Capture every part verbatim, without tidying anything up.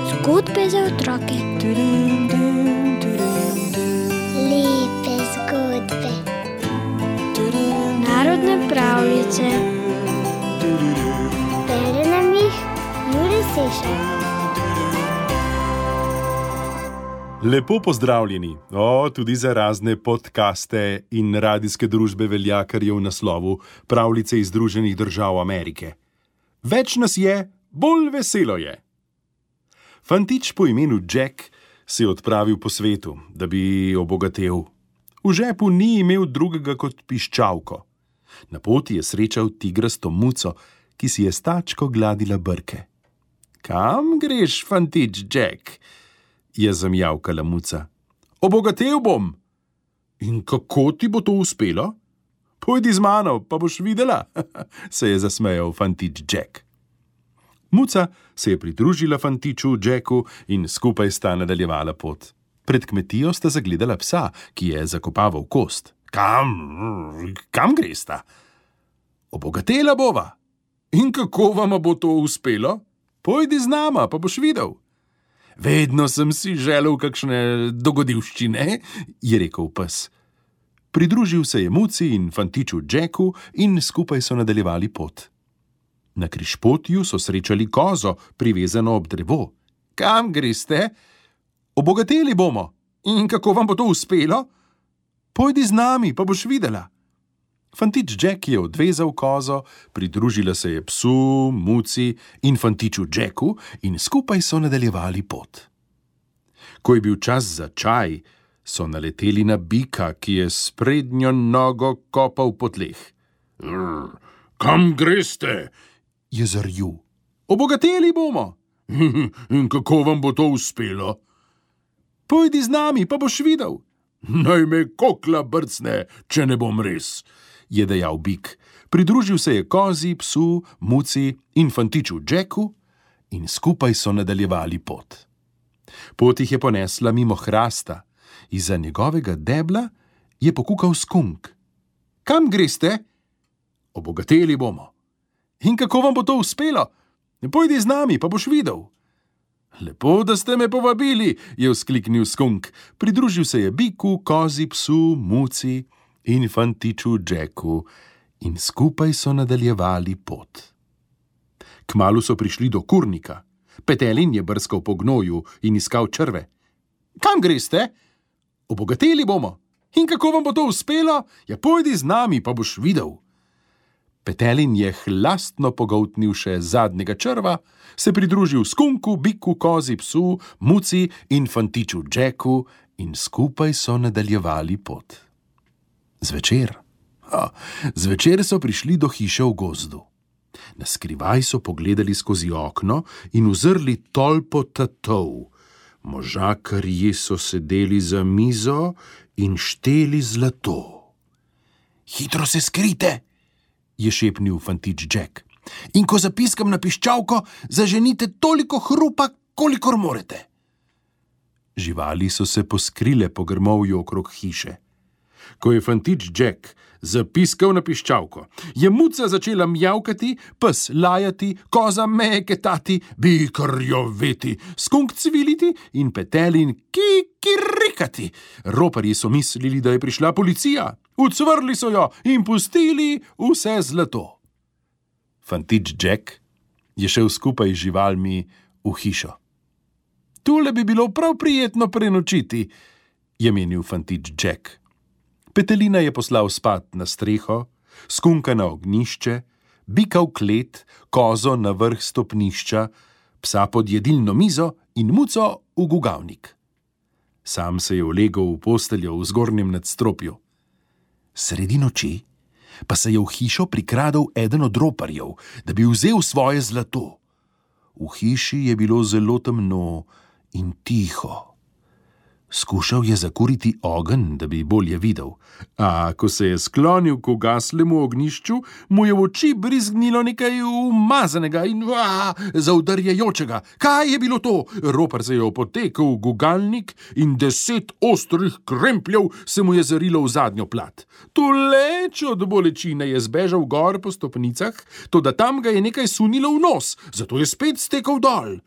Zgodbe za otroke. Lepe zgodbe. Narodne pravljice. Bere nam jih Jure Sešar. Lepo pozdravljeni, o, tudi za razne podcaste in radijske družbe velja, kar je v naslovu Pravljice iz Združenih držav Amerike. Več nas je, bolj veselo je. Fantič po imenu Jack se je odpravil po svetu, da bi obogatel. V žepu ni imel drugega kot piščalko. Na poti je srečal tigrasto muco, ki si je s tačko gladila brke. Kam greš, fantič Jack? Je zamjavkala muca. Obogatel bom. In kako ti bo to uspelo? Pojdi z mano, pa boš videla, se je zasmejal fantič Jack. Muca se je pridružila fantiču Jacku in skupaj sta nadaljevala pot. Pred kmetijo sta zagledala psa, ki je zakopaval kost. Kam, kam gresta? Obogatela bova. In kako vama bo to uspelo? Pojdi z nama, pa boš videl. Vedno sem si želel kakšne dogodivščine, je rekel pes. Pridružil se je muci in fantiču Jacku in skupaj so nadaljevali pot. Na križpotju so srečali kozo, privezano ob drevo. Kam greste? Obogateli bomo. In kako vam bo to uspelo? Pojdi z nami, pa boš videla. Fantič Jack je odvezal kozo, pridružila se je psu, muci in fantiču Jacku in skupaj so nadaljevali pot. Ko je bil čas za čaj, so naleteli na bika, ki je s prednjo nogo kopal po tleh. Kam greste? Je zarjul. Obogateli bomo. In kako vam bo to uspelo? Pojdi z nami, pa boš videl. Naj me kokla brcne, če ne bom res, je dejal bik. Pridružil se je kozi, psu, muci in fantiču Jacku in skupaj so nadaljevali pot. Pot jih je ponesla mimo hrasta. Izza njegovega debla je pokukal skunk. Kam greste? Obogateli bomo. In kako vam bo to uspelo? Pojdi z nami, pa boš videl. Lepo, da ste me povabili, je vzkliknil skunk. Pridružil se je biku, kozi, psu, muci in fantiču Jacku in skupaj so nadaljevali pot. Kmalu so prišli do kurnika. Petelin je brskal po gnoju in iskal črve. Kam greste? Obogateli bomo. In kako vam bo to uspelo? Ja, pojdi z nami, pa boš videl. Petelin je hlastno pogoltnil še zadnjega črva, se pridružil skunku, biku, kozi, psu, muci in fantiču Jacku in skupaj so nadaljevali pot. Zvečer. A, zvečer so prišli do hiše v gozdu. Naskrivaj so pogledali skozi okno in uzrli tolpo tatov. Možakarji so sedeli za mizo in šteli zlato. Hitro se skrite, je šepnil fantič Jack. In ko zapiskam na piščalko, zaženite toliko hrupa, kolikor morete. Živali so se poskrile po grmovju okrog hiše. Ko je fantič Jack zapiskal na piščalko, je muca začela mjavkati, pes lajati, koza meketati, bik rjoveti, skunk cviliti in petelin kikirikati. Roparji so mislili, da je prišla policija. Ucvrli so jo in pustili vse zlato. Fantič Jack je šel skupaj z živalmi v hišo. Tule bi bilo prav prijetno prenočiti, je menil fantič Jack. Petelina je poslal spat na streho, skunka na ognjišče, bika v klet, kozo na vrh stopnišča, psa pod jedilno mizo in muco v gugavnik. Sam se je ulegel v posteljo v zgornjem nadstropju. Sredi noči pa se je v hišo prikradel eden od roparjev, da bi vzel svoje zlato. V hiši je bilo zelo temno in tiho. Skušal je zakuriti ogenj, da bi bolje videl, a ko se je sklonil k ugaslemu ognjišču, mu je v oči brizgnilo nekaj umazanega in a, zaudarjajočega. Kaj je bilo to? Ropar se je opotekel v gugalnik in deset ostrih krempljev se mu je zarilo v zadnjo plat. Tuleč od bolečine je zbežal gor po stopnicah, toda tam ga je nekaj sunilo v nos, zato je spet stekel dol.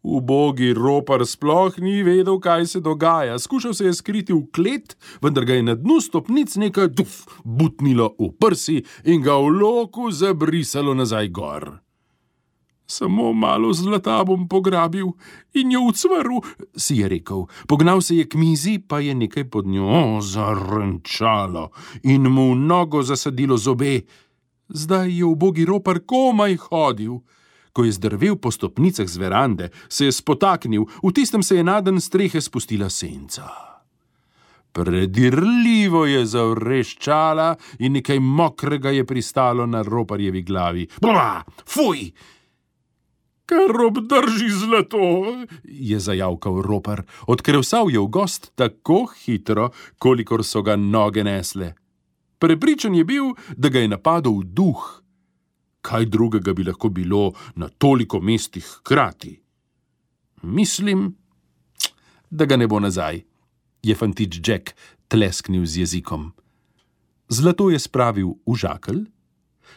Ubogi ropar sploh ni vedel, kaj se dogaja. Skušal se je skriti v klet, vendar ga je na dnu stopnic nekaj duf, butnilo v prsi in ga v loku zabrisalo nazaj gor. Samo malo zlata bom pograbil in jo ucvrl, si je rekel. Pognal se je k mizi, pa je nekaj pod njo zarenčalo in mu v nogo zasadilo zobe. Zdaj je ubogi ropar komaj hodil. Ko je zdrvel po stopnicah z verande, se je spotaknil, v tistem se je naden strehe spustila senca. Predirljivo je zavreščala in nekaj mokrega je pristalo na roparjevi glavi. Bla, fuj! Kar obdrži zlato, je zajavkal ropar. Odkrevsal je v gost tako hitro, kolikor so ga noge nesle. Prepričan je bil, da ga je napadel duh. Kaj drugega bi lahko bilo na toliko mestih hkrati? Mislim, da ga ne bo nazaj, je fantič Jack tlesknil z jezikom. Zlato je spravil v žakelj,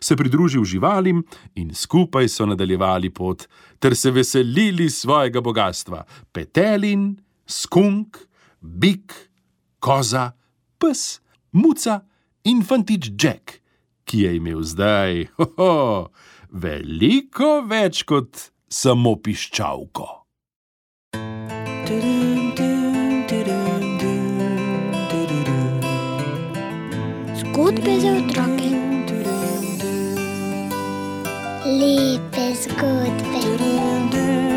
se pridružil živalim in skupaj so nadaljevali pot, ter se veselili svojega bogastva. Petelin, skunk, bik, koza, pes, muca in fantič Jack, ki je imel zdaj ho, ho, veliko več kot samo piščalko. Zgodbe za otroke. Lepe zgodbe.